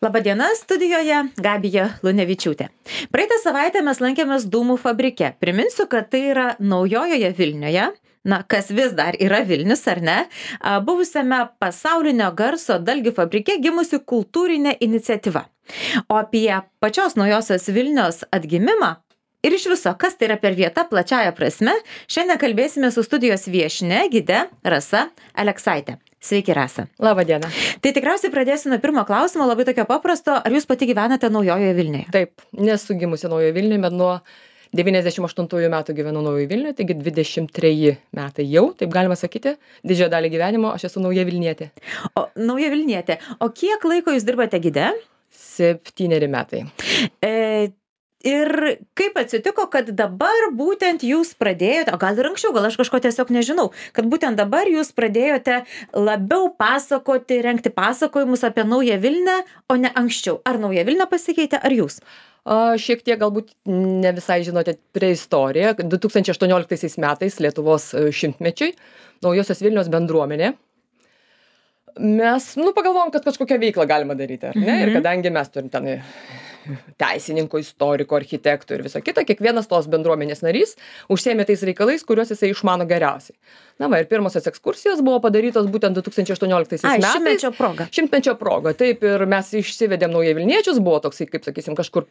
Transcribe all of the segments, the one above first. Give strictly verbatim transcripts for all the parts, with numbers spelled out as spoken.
Labadiena, studijoje Gabija Lunevičiūtė. Praeitą savaitę mes lankėmės Dūmų fabrike. Priminsiu, kad tai yra naujojoje Vilniuje, na, kas vis dar yra Vilnius, ar ne, buvusiame pasaulinio garso dalgių fabrike gimusi kultūrinė iniciatyva. O apie pačios naujosios Vilnios atgimimą ir iš viso, kas tai yra per vieta plačiaja prasme, šiandien kalbėsime su studijos viešne, gide Rasa Aleksaitė. Sveiki, Rasa. Labą dieną. Tai tikriausiai pradėsiu nuo pirmo klausimo, labai tokio paprasto. Ar jūs pati gyvenate naujojoje Vilniuje? Taip, nesu gimusi naujoje Vilniuje, bet nuo devyniasdešimt aštuntųjų metų gyvenu naujoje Vilniuje, taigi dvidešimt treji metai jau, taip galima sakyti, didžiąją dalį gyvenimo aš esu nauja Vilnietė. O, nauja Vilnietė. O kiek laiko jūs dirbate gide? Septyneri metai. E, ir kaip atsitiko, kad dabar būtent jūs pradėjote, o gal ir anksčiau, gal aš kažko tiesiog nežinau, kad būtent dabar jūs pradėjote labiau pasakoti, rengti pasakojimus apie naują Vilnią, o ne anksčiau. Ar nauja Vilnia pasikeitė, ar jūs? A, šiek tiek galbūt ne visai žinote prie istoriją. du tūkstančiai aštuonioliktaisiais metais Lietuvos šimtmečiui naujosios Vilnios bendruomenė. Mes, nu, pagalvojom, kad kažkokią veiklą galima daryti, ar ne? Mhm. Ir kadangi mes turim ten teisininkų, istorikų, architektų ir viso kita, kiekvienas tos bendruomenės narys užsiėmė tais reikalais, kuriuos jisai išmano geriausiai. Na va, ir pirmosios ekskursijos buvo padarytos būtent du tūkstančiai aštuonioliktaisiais Ai, metais. šimtmečio proga. Šimtmečio proga, taip, ir mes išsivedėm naują Vilniečius, buvo toksai, kaip sakysim, kažkur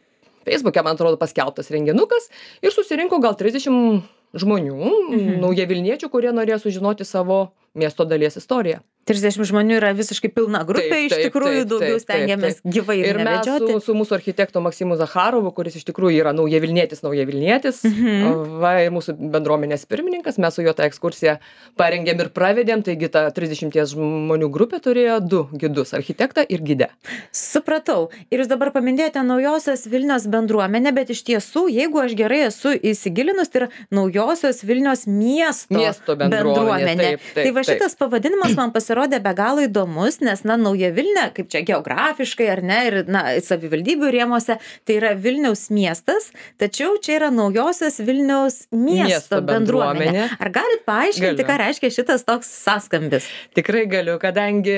Facebook'e, man atrodo, paskelbtas renginukas ir susirinko gal trisdešimt žmonių, mhm. nauja Vilniečių, kurie norėjo sužinoti savo miesto dalies istoriją. trisdešimt žmonių yra visiškai pilna grupė, Taip, iš taip, tikrųjų taip, daugiau taip, stengiamės taip. gyvai ir Ir mes nevedžioti. su, su mūsų architektu Maksimu Zacharovu, kuris iš tikrųjų yra nauja Vilnietis, nauja Vilnietis, Mhm. va, ir mūsų bendruomenės pirmininkas, mes su juo tą ekskursiją parengėm ir pravedėm, taigi ta trisdešimties žmonių grupė turėjo du gidus, architektą ir gidę. Supratau. Ir jūs dabar paminėjote naujosios Vilnios bendruomenę, bet iš tiesų, jeigu aš gerai esu įsigilinus, tai yra naujosios Vilnios miesto, Miesto bendruomenė, taip, taip, tai va taip. šitas pavadinimas man pasirodė be galo įdomus, nes, na, nauja Vilnia, kaip čia geografiškai, ar ne, ir, na, savivaldybių rėmose, tai yra Vilniaus miestas, tačiau čia yra naujosios Vilniaus miesto, Miesto bendruomenė. bendruomenė. Ar galit paaiškinti, Galiu. ką reiškia šitas toks sąskambis? Tikrai galiu, kadangi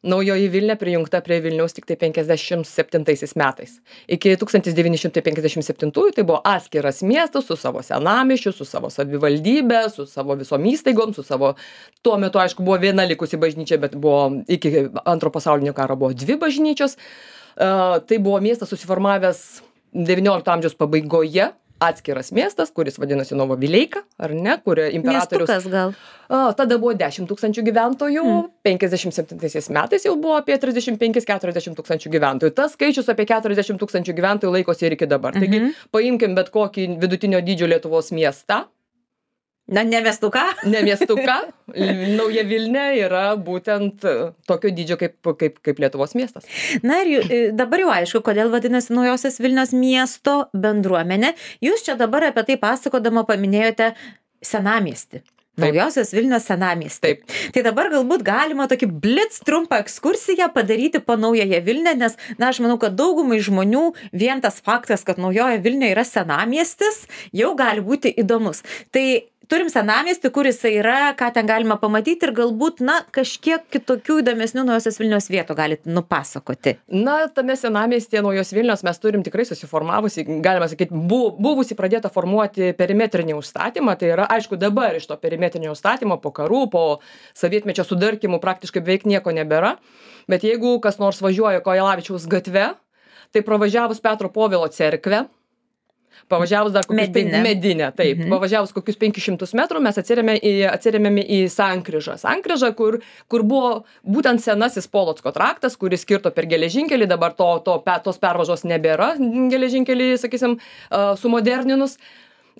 naujoji Vilnia prijungta prie Vilniaus tik tai penkiasdešimt septintaisiais metais. Iki tūkstantis devyni šimtai penkiasdešimt septintųjų tai buvo atskiras miestas su savo senamiesčiu, su savo savivaldybė, su savo visom įstaigom, su savo, tuo metu aišku buvo viena likusi bažnyčia, bet buvo iki antro pasaulinio karo buvo dvi bažnyčios. Uh, tai buvo miestas susiformavęs devyniolikto amžiaus pabaigoje, atskiras miestas, kuris vadinasi Novovileika, ar ne, kurio imperatorius. Miestukas gal. A, tada buvo dešimt tūkstančių gyventojų, mm. penkiasdešimt septintaisiais metais jau buvo apie trisdešimt penkis keturiasdešimt tūkstančių gyventojų. Tas skaičius apie keturiasdešimt tūkstančių gyventojų laikosi ir iki dabar. Taigi, Mhm. paimkim bet kokį vidutinio dydžio Lietuvos miestą, Na, ne miestuką? ne miestuką, nauja Vilnia yra būtent tokio dydžio kaip, kaip, kaip Lietuvos miestas. Na ir jų- dabar jau aišku, kodėl vadinasi naujosios Vilnios miesto bendruomenė. Jūs čia dabar apie tai pasakodama paminėjote senamiestį. Taip. Naujosios Vilnios senamiestį. Taip. Tai dabar galbūt galima tokį blitz trumpą ekskursiją padaryti po naująją Vilnią, nes, na, aš manau, kad daugumai žmonių vien tas faktas, kad naujoje Vilniuje yra senamiestis, jau gali būti įdomus. Tai turim senamiestį, kuris yra, ką ten galima pamatyti ir galbūt, na, kažkiek kitokių įdomesnių naujosios Vilnios vietų galit nupasakoti. Na, tame senamiestyje naujos Vilnios mes turim tikrai susiformavusi, galima sakyti, bu, buvusi pradėta formuoti perimetrinį užstatymą. Tai yra, aišku, dabar iš to perimetrinio užstatymo po karų, po sovietmečio sudarkymų praktiškai beveik nieko nebėra. Bet jeigu kas nors važiuoja Kojelavičiaus gatve, tai pravažiavus Petro Povilo cerkvę, pavažiavus dar kokius Medinę. pen- medinę, taip, Mhm. pavažiavus kokius penkis šimtus metrų mes atsirėmėme į, atsirėmėme į Sankryžą. Sankryžą, kur, kur buvo būtent senasis Polocko traktas, kuris skirto per geležinkelį, dabar to, to, pe- tos pervažos nebėra, geležinkelį, sakysim, uh, sumoderninius.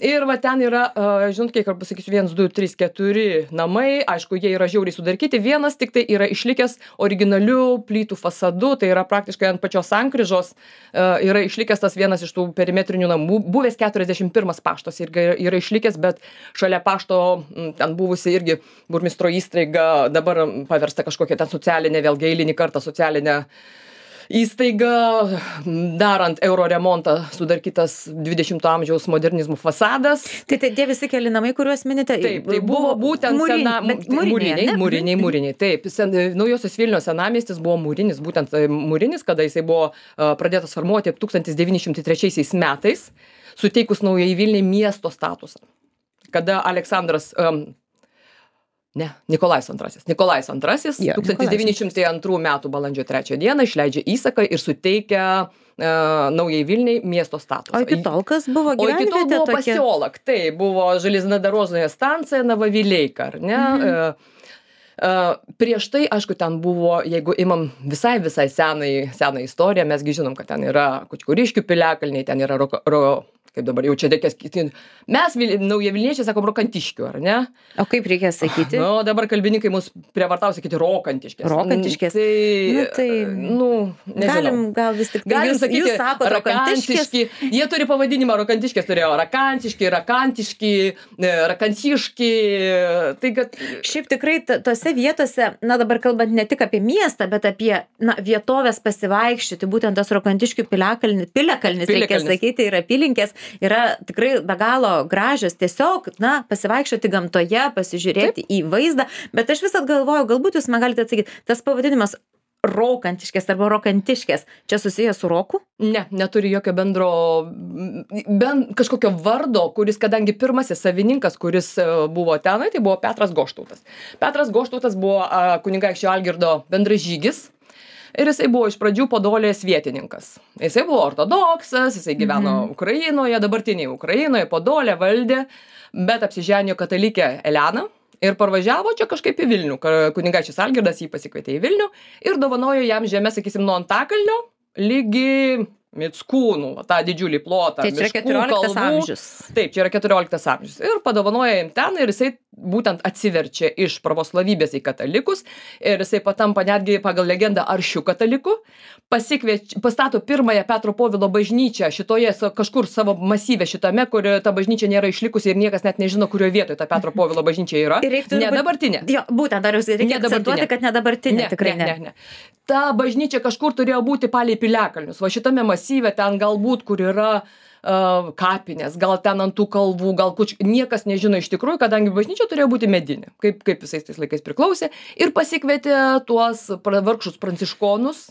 Ir va ten yra, uh, žinot, kiek ar pasakysiu, vienas, du, trys, keturi namai, aišku, jie yra žiauriai sudarkyti, vienas tik tai yra išlikęs originalių plytų fasadu, tai yra praktiškai ant pačios Sankryžos uh, yra išlikęs tas vienas iš tų perimetrinių namų, buvęs keturiasdešimt pirmas paštas irgi yra, yra išlikęs, bet šalia pašto m, ten buvusi irgi burmistro įstaiga, dabar paversta kažkokia ten socialinė, vėlgi eilinį kartą socialinė įstaiga, darant euro remontą, sudarkytas dvidešimto amžiaus modernizmų fasadas. Tai tai tie visi keli namai, kuriuos minite, Taip, tai buvo būtent mūrin- sena, bet tai mūriniai, mūriniai, ne? mūriniai, mūriniai. Taip, sen, Naujosios Vilnios senamiestis buvo mūrinis, būtent e, mūrinis, kada jisai buvo e, pradėtas formuoti tūkstantis devyni šimtai trečiaisiais metais, suteikus Naujai Vilniai miesto statusą. Kada Aleksandras, um, ne, Nikolajus antrasis. Nikolajus antrasis Jo, tūkstantis devyni šimtai antrų metų balandžio trečią dieną išleidžia įsaką ir suteikia uh, Naujai Vilniai miesto statusą. O iki tol kas buvo O iki tol gyvenvietė buvo tokia? pasiolak, tai buvo Železnodarožnoje stancija Navavileika, ar ne? Mhm. Uh, uh, prieš tai, aišku, ten buvo, jeigu imam visai, visai senai, seną istoriją, mesgi žinom, kad ten yra Kučkuriškių piliakalniai, ten yra ro, ro, kaip dabar jau čia reikės kiti. Mes, Vil- Naujavilniečiai, sakom Rokantiškių, ar ne? O kaip reikia sakyti? Nu, dabar kalbininkai mus prievartavo sakyti Rokantiškės. Rokantiškės. Tai, Nu, tai nu, nežinau. Galim gal vis tik tai. Galim Jūs, sakyti, jūs sakote rokantiškės. rakantiški. Jie turi pavadinimą rokantiškės, turėjo rakantiški, rakantiški, e, rakantiški. Tai kad... Šiaip tikrai t- tose vietose, na dabar kalbant ne tik apie miestą, bet apie na, vietovės pasivaikščioti, būtent tas Rokantiškių piliakalnis, piliakalnis, reikia Piliakalnis. sakyti, ir apylinkės yra tikrai be galo gražios, tiesiog, na, pasivaikščioti gamtoje, pasižiūrėti į vaizdą, bet aš visat galvoju, galbūt jūs man galite atsakyti, tas pavadinimas Rokantiškės arba Rokantiškės, čia susijęs su roku? Ne, neturi jokio bendro, ben, kažkokio vardo, kuris, kadangi pirmasis savininkas, kuris e, buvo tenai, tai buvo Petras Goštautas. Petras Goštautas buvo a, kunigaikščio Algirdo bendražygis. Ir jisai buvo iš pradžių Podolės vietininkas. Jisai buvo ortodoksas, jisai gyveno Mhm. Ukrainoje, dabartinėje Ukrainoje, Podolę valdė, bet apsiženijo katalikę Eleną. Ir parvažiavo čia kažkaip į Vilnių. Ka- Kunigaikštis Algirdas jį pasikvietė į Vilnių ir dovanojo jam žemę, sakysim, nuo Antakalnio lygi Mickūnų, va, tą didžiulį plotą. Tai čia yra miškų, keturioliktas kalvų. amžius. Taip, čia yra keturioliktas amžius. Ir padovanoja jam ten ir jisai būtent atsiverčia iš pravoslavybės į katalikus. Ir jisai patampa netgi pagal legendą aršių katalikų. Pasikviečia, pastato pirmąją Petro Povilo bažnyčią šitoje sa- kažkur savo masyve šitame, kur ta bažnyčia nėra išlikusi ir niekas net nežino, kurioje vietoje ta Petro Povilo bažnyčia yra. Ir reiktų Ne turbūt- dabartinė. Jo, būtent, dar jūs reikia Ne dabartinė. akcentuoti, kad ne dabartinė, tikrai ne. ne, ne. Ta bažnyčia kažkur turėjo būti palei piliakalnius. Va šitame masyve ten galbūt, kur yra uh, kapinės, gal ten ant tų kalvų, gal kuč... Niekas nežino iš tikrųjų, kadangi bažnyčia turėjo būti medinė, kaip, kaip visais tais laikais priklausė. Ir pasikvietė tuos pra- vargšus pranciškonus,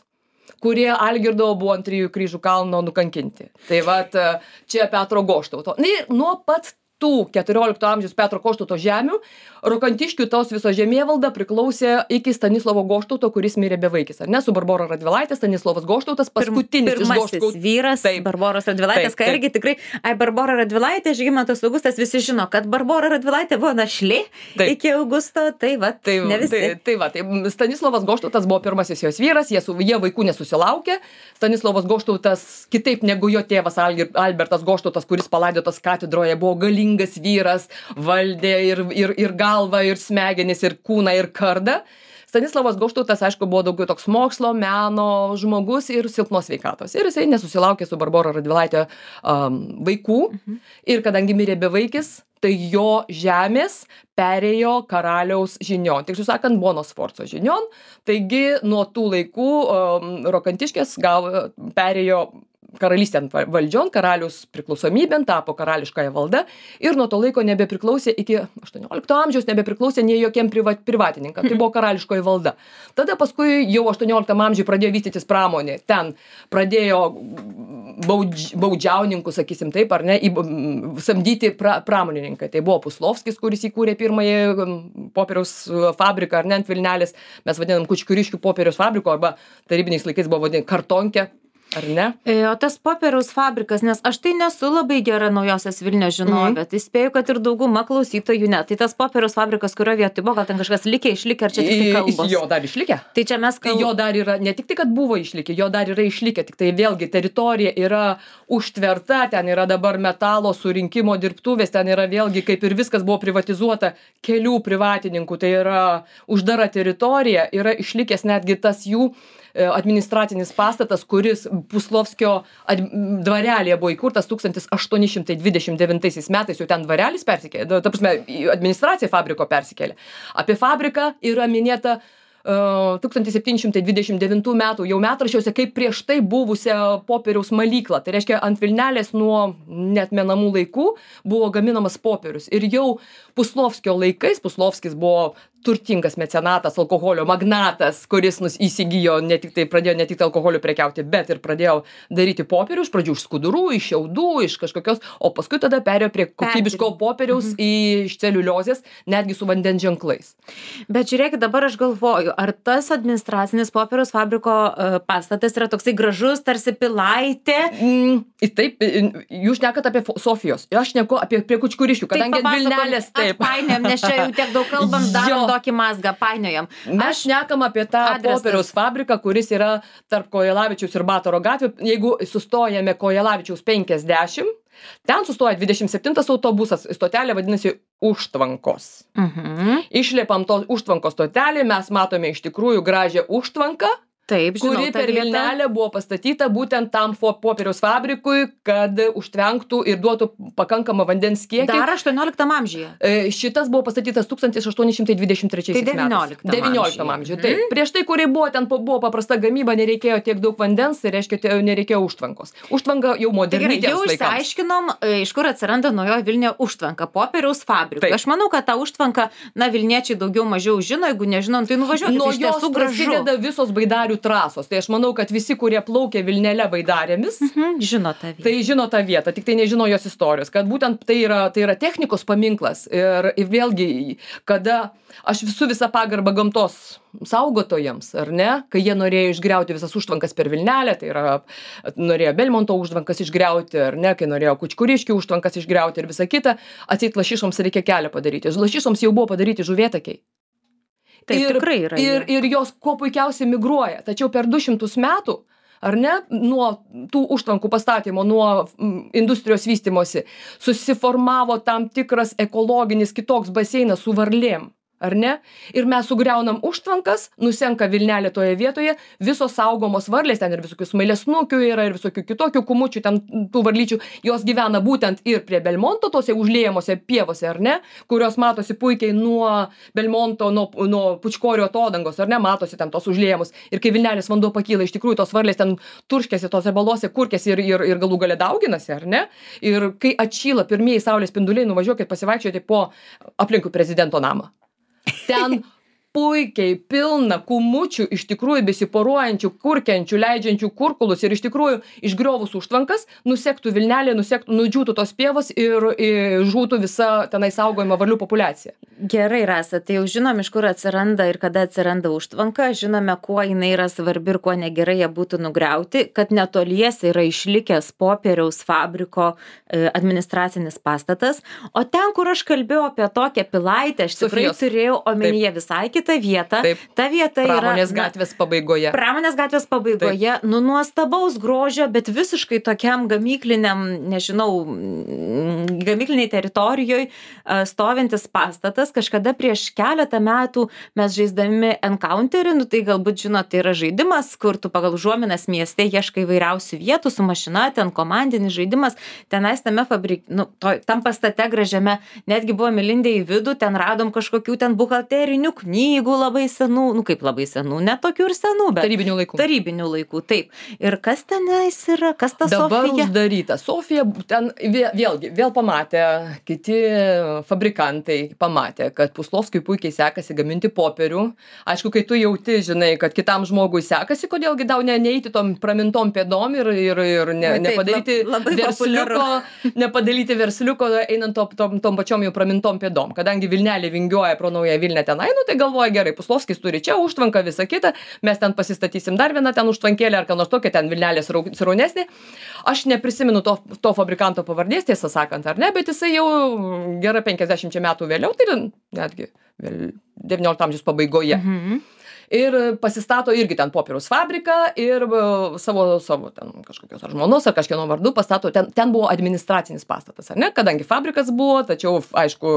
kurie Algirdo buvo ant trijų kryžių kalno nukankinti. Tai vat e, čia Petro Goštauto. Na ir nuo pat tų keturiolikto amžiaus Petro Goštauto žemių Rokantiškių tos viso žemėvalda priklausė iki Stanislovo Goštauto, kuris mirė bevaikis. Ar ne, su Barbora Radvilaitė, Stanislovas Goštautas, paskutinis iš Pirmasis Goštautų. vyras, Taip. Barboros Radvilaitės, Taip, ką taip. irgi tikrai, ai, Barbora Radvilaitė, Žygimantas Augustas, visi žino, kad Barbora Radvilaitė buvo našlė Taip. iki Augusto, tai va, Tai, ne visi. tai, tai va, tai Stanislovas Goštautas buvo pirmasis jos vyras, jie, su, jie vaikų nesusilaukė. Stanislovas Goštautas, kitaip negu jo tėvas Algir, Albertas Goštautas, kuris palaidotas katedroje, buvo galingas vyras, valdė ir, ir, ir galvą, ir smegenis, ir kūną, ir kardą. Stanislavas Goštautas, aišku, buvo daugiau toks mokslo, meno žmogus ir silpnos sveikatos. Ir jisai nesusilaukė su Barbora Radvilaitė um, vaikų. Mhm. Ir kadangi mirė bevaikis, tai jo žemės perėjo karaliaus žinion. Tiksliau sakant, Bonos Sforco žinion. Taigi nuo tų laikų um, Rokantiškės gavo, perėjo karalystėn valdžion, karalius priklausomybėn, tapo karališkąją valdą ir nuo to laiko nebepriklausė iki aštuoniolikto amžiaus, nebepriklausė nei jokiem priva, privatininkam. Tai buvo karališkoji valda. Tada paskui jau aštuonioliktam amžiui pradėjo vystytis pramonė. Ten pradėjo baudž, baudžiauninkų, sakysim taip, ar ne, į, samdyti pra, pramonininkai. Tai buvo Puslovskis, kuris įkūrė pirmąjį popieriaus fabriką, ar ne, ant Vilnelės. Mes vadinam Kučkuriškių popieriaus fabriko, arba tarybiniais laikais buvo vadinama kartonkė. Ar ne? O tas popieriaus fabrikas, nes aš tai nesu labai gera Naujosios Vilnios žinovė, Mhm. tai spėju, kad ir dauguma klausytojų ne. Tai tas popieriaus fabrikas, kurio vietoj buvo, gal ten kažkas likė, išlikė, ar čia tik tai kalbos? Jo dar išlikę. Tai čia mes Tai kalbame. jo dar yra, ne tik tai, kad buvo išlikę, jo dar yra išlikę, tik tai vėlgi teritorija yra užtverta, ten yra dabar metalo surinkimo dirbtuvės, ten yra vėlgi, kaip ir viskas buvo privatizuota kelių privatininkų, tai yra uždara teritorija, yra išlikęs netgi tas jų e, administracinis pastatas, kuris Puslovskio ad- dvarelėje buvo įkurtas tūkstantis aštuoni šimtai dvidešimt devintaisiais metais, jau ten dvarelis persikėlė, ta prasme, į administracija fabriko persikėlė. Apie fabriką yra minėta tūkstantis septyni šimtai dvidešimt devintų metų jau metraščiuose kaip prieš tai buvusią popieriaus malyklą. Tai reiškia, ant Vilnelės nuo neatmenamų laikų buvo gaminamas popierius. Ir jau Puslovskio laikais, Puslovskis buvo turtingas mecenatas, alkoholio magnatas, kuris nus įsigijo, ne tik tai pradėjo ne tik tai alkoholiu prekiauti, bet ir pradėjo daryti popierių, iš pradžių iš skudurų, iš šiaudų, iš kažkokios, o paskui tada perėjo prie kokybiško popieriaus į iš celiuliozės, netgi su vandens ženklais. Bet žiūrėkit, dabar aš galvoju, ar tas administracinis popieriaus fabriko uh, pastatas yra toksai gražus, tarsi pilaitė? Mm, taip, jūs šnekat apie Sofijos, aš šneku apie prie Kučkuriškių, kadangi Vilnelės taip. Painiojam, nes čia jau tiek daug kalbam, darom tokį mazgą, painiojam. Mes šnekam apie tą adresas. Popieriaus fabriką, kuris yra tarp Kojelavičiaus ir Batoro gatvių. Jeigu sustojame Kojelavičiaus penkiasdešimt, ten sustoja dvidešimt septintas autobusas, stotelė vadinasi Užtvankos. Mhm. Išlipam to Užtvankos stotelį, mes matome iš tikrųjų gražią užtvanką, taip, žinau, kuri per Vilnelę buvo pastatyta būtent tam popieriaus fabrikui, kad užtvenktų ir duotų pakankamą vandens kiekį. Dar aštuonioliktam amžiuje. Šitas buvo pastatytas tūkstantis aštuoni šimtai dvidešimt trečiais tai devynioliktam devynioliktam amžiuje. Taip. Mm. Prieš tai, kuri buvo, ten buvo paprasta gamyba, nereikėjo tiek daug vandens, tai reiškia, nereikėjo užtvankos. Užtvanka jau moderni. Tai jau išsiaiškinom, iš kur atsiranda naujoji Vilniuje užtvanka, popieriaus fabrikui. Aš manau, kad tą užtvanką, na, vilniečiai daugiau mažiau žino, jeigu nežinom, tai nuvažiuokit. Nuo jos prasideda visos baidarių trasos. Tai aš manau, kad visi, kurie plaukė Vilnele baidarėmis, mhm, žino tą vietą. Tai žino tą vietą, tik tai nežino jos istorijos, kad būtent tai yra, tai yra technikos paminklas. Ir, ir vėlgi, kada aš visų visą pagarbą gamtos saugotojams, ar ne, kai jie norėjo išgriauti visas užtvankas per Vilnelę, tai yra, norėjo Belmonto užtvankas išgriauti, ar ne, kai norėjo Kučkuriškių užtvankas išgriauti ir visą kitą, atseit Lašišoms reikia kelią padaryti. Lašišoms jau buvo padaryti žuvėtakiai. Taip, ir, tikrai yra. Ir, ir jos kuo puikiausiai migruoja. Tačiau per du šimtus metų, ar ne, nuo tų užtvankų pastatymo, nuo industrijos vystimosi, susiformavo tam tikras ekologinis kitoks baseinas su varlėm. Ar ne? Ir mes sugriaunam užtvankas, nusenka Vilnelė toje vietoje, visos saugomos varlės, ten ir visokių smailesnukių yra, ir visokių kitokių kumučių, ten tų varlyčių, jos gyvena būtent ir prie Belmonto, tose užliejamose pievose, ar ne, kurios matosi puikiai nuo Belmonto, nuo, nuo Pučkorio atodangos, ar ne, matosi ten tos užliejamus. Ir kai Vilnelės vanduo pakyla, iš tikrųjų tos varlės ten turškėsi tose balose, kurkėsi ir, ir, ir galų gale dauginasi, ar ne? Ir kai atšyla pirmieji saulės spinduliai, nuvažiuokit pasivaikščioti po aplinkui prezidento namą. Ten puikiai pilna kumučių, iš tikrųjų besiporuojančių, kurkiančių, leidžiančių kurkulus ir iš tikrųjų išgriovus užtvankas, nusektų Vilnelė, nusektų, nudžiūtų tos pievos ir, ir žūtų visa tenai saugojama varlių populiacija. Gerai, Rasa, tai jau žinom, iš kur atsiranda ir kada atsiranda užtvanka, žinome, kuo jinai yra svarbi ir kuo negerai ją būtų nugriauti, kad netoliese yra išlikęs popieriaus fabriko administracinis pastatas, o ten, kur aš kalbėjau apie tokią pilaitę, aš tikrai Sofijos. Turėjau omenyje Taip. Visai kitą vietą. Taip. Ta vieta Pramonės yra gatvės pabaigoje. Pramonės gatvės pabaigoje, Taip. Nu nuostabaus grožio, bet visiškai tokiam gamykliniam, nežinau, gamykliniai teritorijoje stovintis pastatas. Kažkada prieš keletą metų mes žaisdami Encounterį, nu tai galbūt žinot, tai yra žaidimas, kur tu pagal užuominas mieste ieškai įvairiausių vietų su mašina, ten komandinis žaidimas, tenais tame fabrik, nu, to, tam pastate gražiame, netgi buvome lindę į vidų, ten radom kažkokių ten buhalterinių knygų labai senų, nu kaip labai senų, ne tokių ir senų, bet tarybinių laikų. Tarybinių laikų, taip. Ir kas tenais yra, kas ta Sofija? Dabar uždaryta. Sofija ten vėlgi, vėl pamatė, kiti fabrikantai pamatė, kad Puslovskiui puikiai sekasi gaminti popierių. Aišku, kai tu jauti, žinai, kad kitam žmogui sekasi, kodėlgi tau ne, neįti tom pramintom pėdom ir, ir, ir ne, Taip, nepadaryti lab, versliuko, nepadaryti versliuko einant tom, tom, tom pačiom jau pramintom pėdom. Kadangi Vilnelė vingiuoja pro naują Vilnę tenai, nu tai galvoja gerai, Puslovskis turi čia užtvanką, visą kitą, mes ten pasistatysim dar vieną ten užtvankėlę ar ką nors tokia, ten Vilnelė sraunesnė. Aš neprisimenu to, to fabrikanto pavardės, tiesą sakant, ar ne, bet jisai jau gera penkiasdešimt metų vėliau, tai netgi devyniolikto amžiaus pabaigoje. Mhm. Ir pasistato irgi ten popieriaus fabriką ir savo, savo ten kažkokios ar žmonos ar kažkieno vardu pastato, ten, ten buvo administracinis pastatas, ar ne, kadangi fabrikas buvo, tačiau, aišku,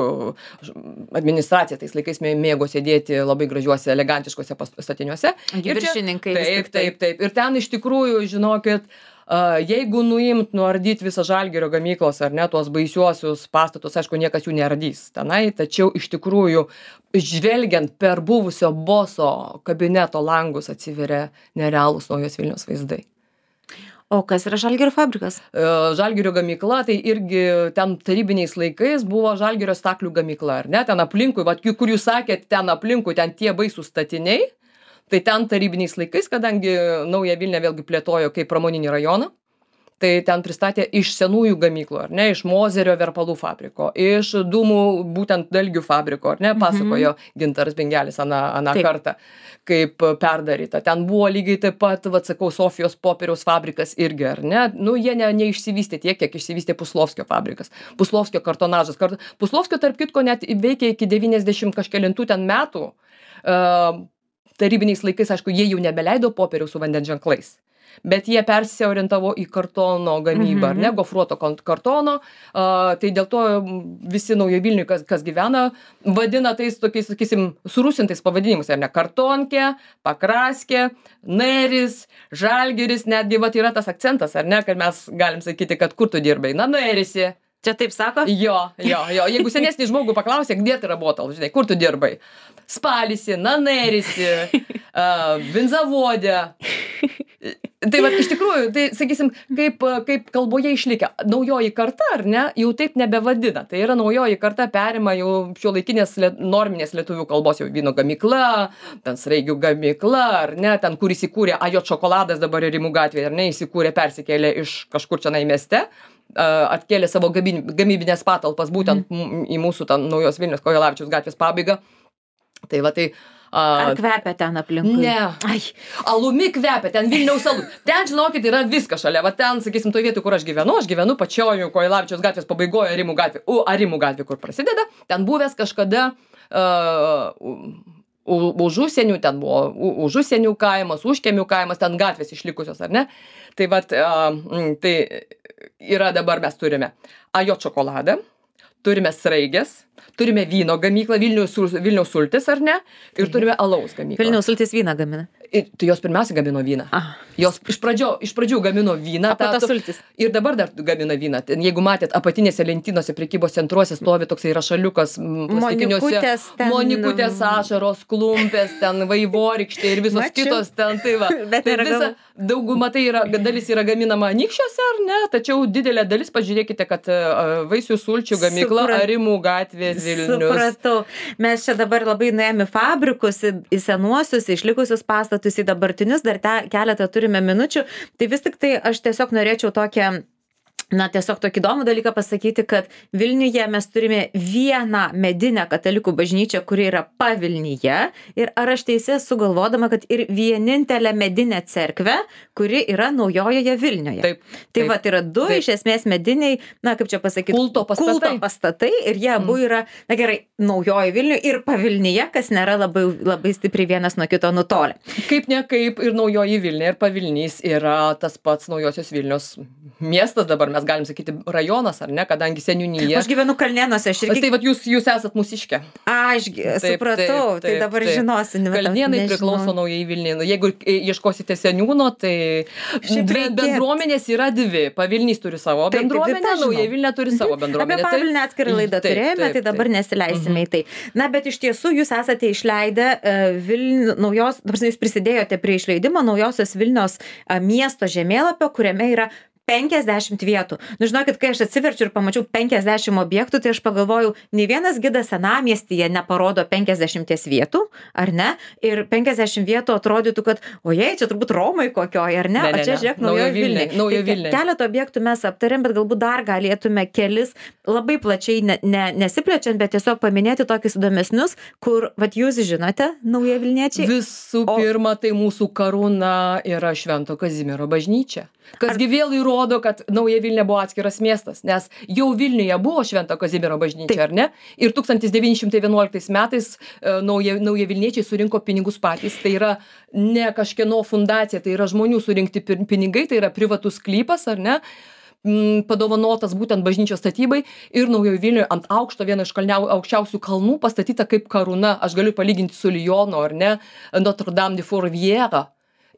administracija tais laikais mėgo sėdėti labai gražiuose, elegantiškuose statiniuose. Viršininkai. Taip, taip, taip. Ir ten iš tikrųjų, žinokit, a, jeigu nuimt, nuardyt visą Žalgirio gamyklos, ar ne, tuos baisiuosius pastatus, aišku, niekas jų neardys tenai, tačiau iš tikrųjų, žvelgiant per buvusio boso kabineto langus atsiveria nerealūs Naujos Vilnios vaizdai. O kas yra Žalgirio fabrikas? Žalgirio gamykla, tai irgi ten tarybiniais laikais buvo Žalgirio staklių gamykla, ar ne? Ten aplinkui, vat, kur jūs sakėt, ten aplinkui, ten tie baisūs statiniai, tai ten tarybiniais laikais, kadangi Naują Vilnią vėlgi plėtojo kaip pramoninį rajoną, tai ten pristatė iš senųjų gamyklų, ar ne, iš Mozerio verpalų fabriko, iš dūmų būtent dalgių fabriko, ar ne, pasakojo Gintaras Bingelis aną, aną kartą, kaip perdaryta. Ten buvo lygiai taip pat, vat sakau, Sofijos popieriaus fabrikas irgi, ar ne, nu jie ne, neišsivystė tiek, kiek išsivystė Puslovskio fabrikas, Puslovskio kartonažas. Kart... Puslovskio, tarp kitko, net veikia iki devyniasdešimt kažkelintų ten metų. Uh, tarybiniais laikais, aišku, jie jau nebeleido popieriaus su vandens ženklais. Bet jie persiorientavo į kartono gamybą, ar ne, gofruoto kartono, a, tai dėl to visi Naujo Vilniui, kas, kas gyvena, vadina tais tokiais, sakysim, surusintais pavadinimus, ar ne, kartonkė, pakraskė, neris, Žalgiris, netgi vat yra tas akcentas, ar ne, kad mes galim sakyti, kad kur tu dirbai, na, nerisi. Čia taip sako? Jo, jo, jo, jeigu senesnį žmogų paklausė, где ты работал, žinai, kur tu dirbai, spalisi, na, nerisi, uh, vinzavodė. Tai va, iš tikrųjų, tai, sakysim, kaip, kaip kalboje išlikę, naujoji karta, ar ne, jau taip nebevadina. Tai yra naujoji karta perima jau šiuolaikinės norminės lietuvių kalbos, jau vyno gamykla, ten Sraigių gamykla, ar ne, ten, kur įsikūrė Ajot šokoladas dabar Rimų gatvėje, ar ne, įsikūrė, persikėlė iš kažkur čia mieste, atkėlė savo gamybinės patalpas būtent mm. į mūsų tą Naujos Vilnios Kojelavičiaus gatvės pabaigą. Tai va, tai Ar kvepia ten aplinkui? Ne. Ai, alumi kvepia, ten Vilniaus alus. Ten, žinokit, yra viskas šalia. Va ten, sakysim, to vietų, kur aš gyvenu, aš gyvenu pačioje Kojelavičiaus gatvės pabaigoje Arimų gatvė. U, Arimų gatvė, kur prasideda. Ten buvęs kažkada uh, už užsienių, ten buvo už užsienių kaimas, užkiemių kaimas, ten gatvės išlikusios, ar ne? Tai va, uh, tai yra dabar mes turime Ajot šokoladą, turime Sraigės, turime vyno gamyklą, Vilniaus, Vilniaus sultis, ar ne? Ir turime alaus gamyklą. Vilniaus sultis vyną gamina. Ir, tai jos pirmiausia gamino vyną. Ah. Jos iš, pradžio, iš pradžių gamino vyną. Apie tas sultis. Ir dabar dar gamina vyną. Ten, jeigu matėt, apatinėse lentynose prekybos centruose stovi toksai rašaliukas plastikiniuose. Ten... Monikutės, ašaros, klumpės, ten vaivorykštė ir visos Mačiu. Kitos ten. Tai va. Bet tai visa, dauguma tai yra, dalis yra gaminama Anykščiuose, ar ne? Tačiau didelė dalis, pažiūrėkite, kad uh, vaisių sulčių gamykla Suprat... Arimų gatvės Vilnius. Supratau. Mes čia dabar labai nuėjome fabrikus, į, į senuosius, išlikusius pastatus, į dabartinius, dar te, keletą turime minučių. Tai vis tik tai aš tiesiog norėčiau tokią, na, tiesiog tokį įdomų dalyką pasakyti, kad Vilniuje mes turime vieną medinę katalikų bažnyčią, kuri yra pavilnyje. Ir ar aš teisė sugalvodama, kad ir vienintelė medinė cerkvė, kuri yra Naujojoje Vilnioje. Taip. Tai taip, va, tai yra du taip. iš esmės mediniai, na, kaip čia pasakyti, kulto pastatai. Kulto pastatai ir jie abu yra, na gerai, Naujojoje Vilniuje ir pavilnyje, kas nėra labai, labai stipriai vienas nuo kito nutolę. Kaip ne kaip ir Naujoji Vilnia ir pavilnys yra tas pats Naujosios Vilnios miestas dabar. Mes galim sakyti rajonas, ar ne, kadangi seniūnyje. Aš gyvenu Kalnėnuose, aš irgi... Tai vat jūs, jūs esat mūsiškė. Aš supratau, taip, taip, tai dabar taip. Žinosi. Kalnėnai priklauso Naujai Vilniai. Jeigu ieškosite seniūno, tai dvi bendruomenės yra dvi. Pavilnys turi savo taip, bendruomenę, taip, Naujai Vilnia turi mhm. savo bendruomenę. Apie Pavilnę atskirą laidą taip, turėjome, taip, taip, tai dabar nesileisime mhm. į tai. Na, bet iš tiesų jūs esate išleidę uh, Vilnių, naujos, dabar jūs prisidėjote prie išleidimo Naujosios Vilnios uh, miesto žemėlapio, kuriame yra penkiasdešimt vietų. Nu, žinokit, kai aš atsiverčiu ir pamačiau penkiasdešimt objektų, tai aš pagalvojau, nei vienas gidas senamiestyje neparodo penkiasdešimties vietų, ar ne? Ir penkiasdešimt vietų atrodytų, kad, ojei, čia turbūt Romai kokioj, ar ne? ne, ne o čia, žiūrėk, Naujojo Vilniai. Naujojo Vilniai. Tai keletą objektų mes aptarėm, bet galbūt dar galėtume kelis labai plačiai, ne, ne, nesiplečiant, bet tiesiog paminėti tokius įdomesnius, kur, vat jūs žinote, Naujojo Vilniečiai. Visų o... pirma, tai mūsų karūna yra Švento Kazimiero bažnyčia. Kasgi vėl įrodo, kad Nauja Vilnia buvo atskiras miestas, nes jau Vilniuje buvo Švento Kazimiero bažnyčia, ar ne? Ir tūkstantis devyni šimtai vienuoliktais metais nauja, nauja Vilniečiai surinko pinigus patys. Tai yra ne kažkieno fundacija, tai yra žmonių surinkti pinigai, tai yra privatus sklypas, ar ne? Padovanotas būtent bažnyčios statybai ir Naujojo Vilniuje ant aukšto, vieno iš kalniau, aukščiausių kalnų pastatyta kaip karūna. Aš galiu palyginti su Lyonu, ar ne? Notre Dame de Fourvière.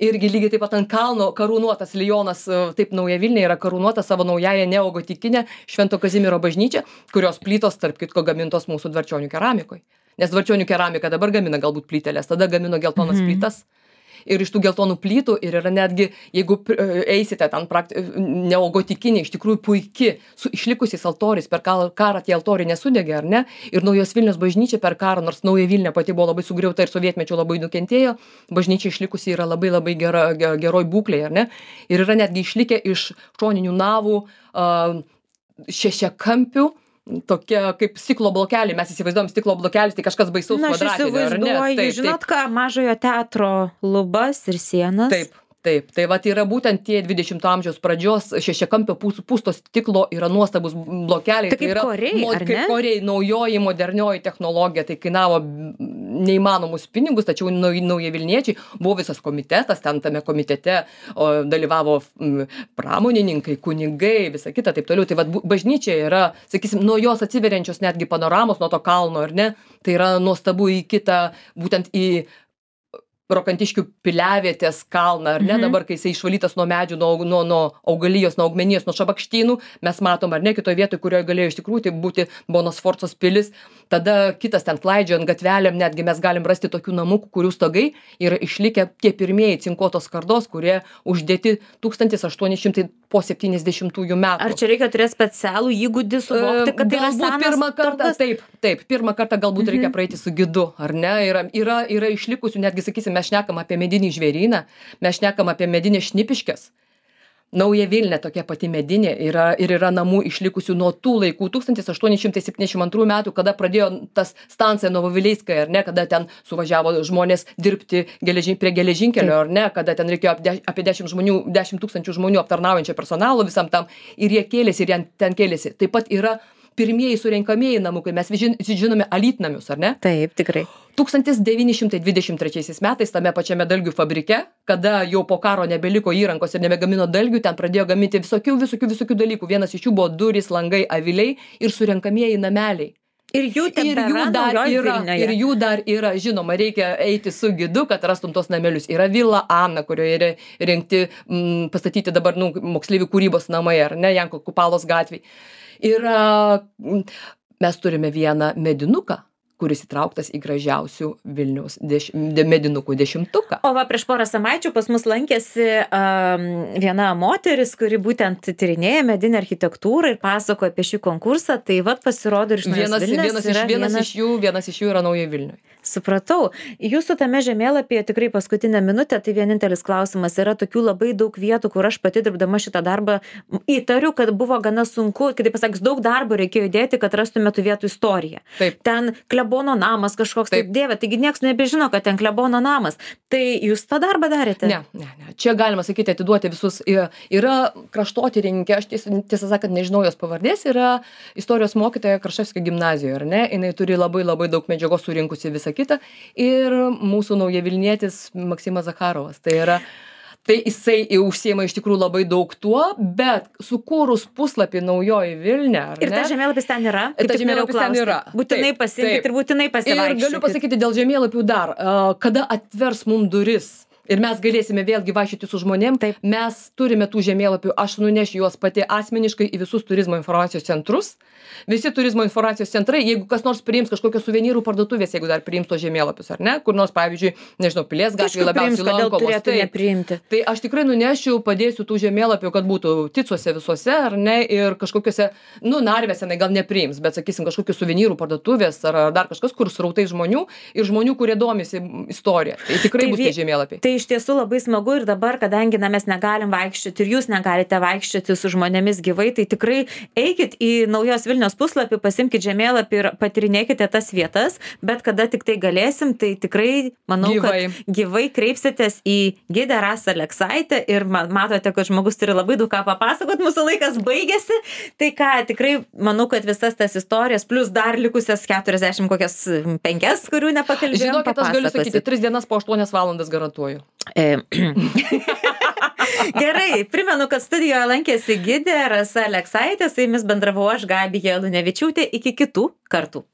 irgi lygiai taip pat ant kalno karūnuotas Lionas, taip Nauja Vilnia yra karūnuota savo naująją neogotikinę Švento Kazimiero bažnyčią, kurios plytos, tarp kitko, gamintos mūsų Dvarčionių keramikoje. Nes Dvarčionių keramika dabar gamina galbūt plyteles, tada gamino geltonas mhm. plytas. Ir iš tų geltonų plytų ir yra netgi, jeigu eisite ten prakti... neogotikiniai, iš tikrųjų puiki, su išlikusiais altoriais, per karą tie altoriai nesudegė, ar ne? Ir Naujos Vilnios bažnyčia per karą, nors Nauja Vilnia pati buvo labai sugriauta ir sovietmečiu labai nukentėjo, bažnyčia išlikusi yra labai labai gera, geroj būklėje, ar ne? Ir yra netgi išlikę iš šoninių navų uh, šešiakampių, tokia kaip stiklo blokeliai, mes įsivaizduojam stiklo blokelis, tai kažkas baisaus kvadratinio, ar ne? Taip, žinot ką, Mažojo teatro lubas ir sienas. Taip, taip, tai vat yra būtent tie dvidešimto amžiaus pradžios šešiakampio pūsto stiklo yra nuostabus blokeliai. Tai kaip yra koriai, mod, ar ne? Kaip koriai, naujoji, modernioji technologija, tai kainavo neįmanomus pinigus, tačiau Nauja Vilniečiai buvo visas komitetas, ten tame komitete o, dalyvavo m, pramonininkai, kunigai, visa kita, taip toliau. Tai vat bažnyčia yra, sakysim, nuo jos atsiveriančios netgi panoramos nuo to kalno, ar ne? Tai yra nuostabu į kitą, būtent į Rokantiškių piliavietės kalną, ar ne, mhm. dabar, kai jisai išvalytas nuo medžių, nuo, nuo, nuo augalijos, nuo augmenijos, nuo šabakštynų, mes matom, ar ne, kitoje vietoje, kurioje galėjo iš tikrųjų tai būti Bonos Sforcos pilis, tada kitas ten klaidžiojant gatvelėm, netgi mes galim rasti tokių namukų, kurių stogai yra išlikę tie pirmieji cinkuotos skardos, kurie uždėti tūkstantis aštuoni šimtai po septyniasdešimtųjų metų. Ar čia reikia turėti specialų įgūdį suvokti, kad tai yra senas pirmą kartą, turtas? taip, taip, pirmą kartą galbūt Mhm. reikia praeiti su gidu, ar ne? Yra, yra, yra išlikusių, netgi sakysim, mes šnekam apie medinį žvėryną, mes šnekam apie medinę Šnipiškes. Nauja Vilnia tokia pati medinė yra ir yra namų išlikusių nuo tų laikų tūkstantis aštuoni šimtai septyniasdešimt antrų metų, kada pradėjo tas stancija Novovileiskaja, ar ne, kada ten suvažiavo žmonės dirbti geležin, prie geležinkelio, ar ne, kada ten reikėjo apie dešimt žmonių, dešimt tūkstančių žmonių aptarnaujančio personalo visam tam ir jie kėlėsi ir jie ten kėlėsi. Taip pat yra pirmieji surenkamieji namukai, mes žin, žinome Alytnamius, ar ne? Taip, tikrai. tūkstantis devyni šimtai dvidešimt trečiaisiais metais tame pačiame dalgių fabrike, kada jau po karo nebeliko įrankos ir nebegamino dalgių, ten pradėjo gaminti visokių, visokių, visokių dalykų. Vienas iš jų buvo durys, langai, aviliai ir surenkamieji nameliai. Ir jų ten ir jų dar yra, ir jų dar yra, žinoma, reikia eiti su gidu, kad rastum tos namelius. Yra Vila Ana, kurioje yra rinkti, m, pastatyti dabar nu, moksleivių kūrybos namai, ar ne, Janko Kupalos gatvėj. Yra, mes turime vieną medinuką, kuris įtrauktas į gražiausių Vilniaus deš, de, medinukų dešimtuką. O va, prieš porą savaičių pas mus lankėsi um, viena moteris, kuri būtent tyrinėja medinę architektūrą ir pasakoja apie šį konkursą, tai va pasirodo ir iš Naujos Vilnios vienas, iš, vienas, vienas, iš jų, vienas iš jų yra Nauja Vilniuje. Supratau. Jūsų tame žemėlapyje tikrai paskutinę minutę, tai vienintelis klausimas, yra tokių labai daug vietų, kur aš pati dirbdama šitą darbą įtariu, kad buvo gana sunku, kitaip pasakius, daug darbo reikėjo įdėti, kad rastume tų vietų istoriją. Taip. Ten klebono namas kažkoks, taip, taip dėvė, taigi nieks nebežino, kad ten klebono namas. Tai jūs tą darbą darėte? Ne, ne, ne. Čia galima sakyti, atiduoti visus. Yra kraštotyrininkė, aš tiesą, tiesą sakant, nežinau jos pavardės, yra istorijos mokytoja Kraševskio gimnazijoje, ar ne? Jinai turi labai labai daug medžiagos surinkusi visą kitą. Ir mūsų Nauja Vilnietis Maksimas Zakharovas. Tai yra, tai jisai užsiema iš tikrųjų labai daug tuo, bet sukūrus puslapį Naujoji Vilnia, ar ne? Ir tas žemėlapis ten yra? Ir tas žemėlapis ten yra. Būtinai pasiimkit ir būtinai pasivaikščiokit. Ir galiu pasakyti dėl žemėlapių dar, kada atvers mum duris ir mes galėsime vėlgi vaikščioti su žmonėm, taip, mes turime tų žemėlapių, aš nunešiu juos pati asmeniškai į visus turizmo informacijos centrus. Visi turizmo informacijos centrai, jeigu kas nors priims kažkokios suvenyrų parduotuvės, jeigu dar priims tos žemėlapius, ar ne, kur nors, pavyzdžiui, nežinau, Pilies gatvėje labiausiai lankomos. Tai, tai aš tikrai nunešiu, padėsiu tų žemėlapių, kad būtų Ticuose visuose, ar ne, ir kažkokiuose, nu, Narvėse, gal nepriims, bet, sakysim, kažkokios suvenyrų parduotuvės ar dar kažkas, kur srautai žmonių ir žmonių, kurie domisi istorija. Tai tikrai tai bus tie žemėlapiai. Tai iš tiesų labai smagu ir dabar, kadangi na, mes negalim vaikščioti ir jūs negalite vaikščioti su žmonėmis gyvai, tai tikrai eikit į Naujos Vilnios puslapį, pasimkit žemėlapį ir patirinėkite tas vietas, bet kada tik tai galėsim, tai tikrai manau, gyvai. kad gyvai kreipsitės į gidę Rasą Aleksaitę ir matote, kad žmogus turi labai daug ką papasakot, mūsų laikas baigėsi, tai ką, tikrai manau, kad visas tas istorijas, plus dar likusias keturiasdešimt kokias penkias, kurių nepakalbėjom, žinokit, aš galiu sakyti, tris dienas po aštuonias valandas garantuoju. Gerai, primenu, kad studijoje lankėsi gidė Rasa Aleksaitė, su jumis bendravau aš, Gabija Lunevičiūtė, iki kitų kartų.